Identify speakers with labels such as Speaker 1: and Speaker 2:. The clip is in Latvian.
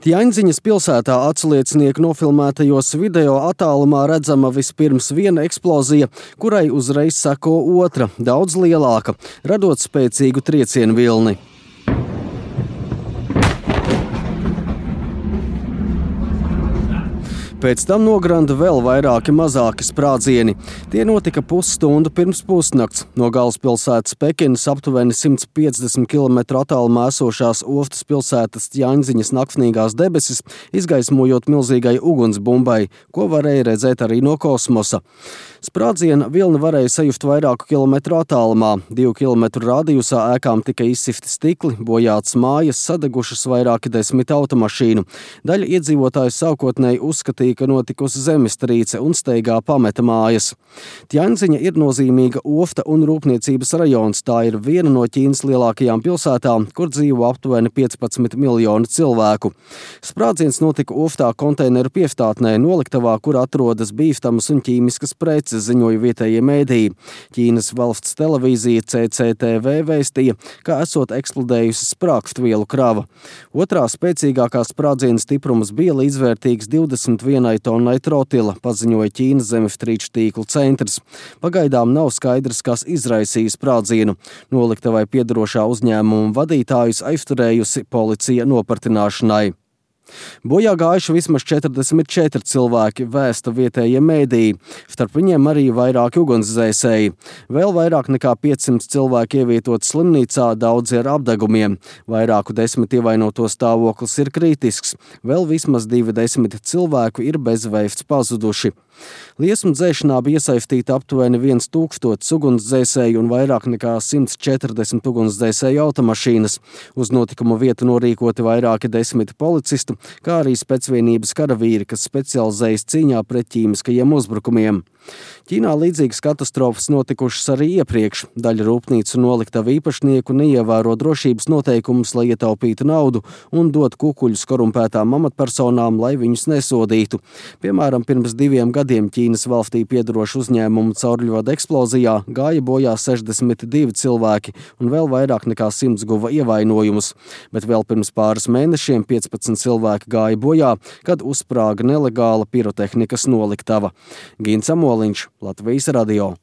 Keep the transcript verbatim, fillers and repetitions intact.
Speaker 1: Tjaņdziņas pilsētā atsliecinieku nofilmētajos video attālumā redzama vispirms viena eksplozija, kurai uzreiz seko otra, daudz lielāka, radot spēcīgu triecienu vilni. Pēc tam nogranda vēl vairāki mazāki sprādzieni. Tie notika pusstundu pirms pusnakts. No galvaspilsētas Pekinas aptuveni simts piecdesmit kilometru attālumā esošās Oftas pilsētas Tjaņdziņas naktnīgās debesis, izgaismojot milzīgai ugunsbumbai, ko varēja redzēt arī no kosmosa. Sprādziena vilni varēja sajust vairāku kilometru attālumā. Divu kilometru rādījusā ēkām tika izsifti stikli, bojātas mājas, sadegušas vairāki desmit automašīnu. Daļa iedzīvotāju sākotnēji uzskatīja, ka notikusi zemestrīce un steigā pameta mājas. Tjaņdziņa ir nozīmīga ofta un rūpniecības rajons. Tā ir viena no Ķīnas lielākajām pilsētām, kur dzīvo aptuveni piecpadsmit miljoni cilvēku. Sprādziens notika Oftā konteineru piestātnē, noliktavā, kur atrodas bīstamas un ķīmiskas preces, ziņoja vietējie mēdīji. Ķīnas valsts televīzija C C T V vēstīja, ka esot eksplodējusi sprāgstvielu krava. Otrā spēcīgākā sprādziena stiprums bija līdzvērtīgs divdesmit vienai tonnai trotila, paziņoja Ķīnas zemestrīču tīklu centrs. Pagaidām nav skaidrs, kas izraisīja sprādzienu. Noliktavai piederošā uzņēmuma vadītājus aizturējusi policija nopratināšanai. Bojā gājuši vismaz četrdesmit četri cilvēki, vēsta vietējie mēdīji, starp viņiem arī vairāki ugunsdzēsēji. Vēl vairāk nekā piecsimt cilvēki ievietot slimnīcā, daudzi ar apdegumiem. Vairāku desmit ievainoto stāvoklis ir kritisks. Vēl vismaz divi desmit cilvēku ir bezvēsts pazuduši. Liesmu dzēšanā bija iesaistīta aptuveni viens tūkstotis ugunsdzēsēju un vairāk nekā simts četrdesmit ugunsdzēsēju automašīnas. Uz notikumu vietu norīkoti vairāki desmit policistu, kā arī specvienības karavīri, kas specializējas cīņā pret ķīmiskajiem uzbrukumiem. Ķīnā līdzīgas katastrofas notikušas arī iepriekš. Daļa rūpnīcu noliktavu īpašnieku neievēro drošības noteikumus, lai ietaupītu naudu un dot kukuļus korumpētām amatpersonām, lai viņus nesodītu. Piemēram, pirms diviem gadiem Ķīnas valstī piedarošu uzņēmumu cauruļvada eksplozijā gāja bojā sešdesmit divi cilvēki un vēl vairāk nekā simts guva ievainojumus. Bet vēl pirms pāris mēnešiem piecpadsmit cilvēki gāja bojā, kad uzsprāga nelegāla pirotehnikas noliktava. Gins Amoliņš, Latvijas radio.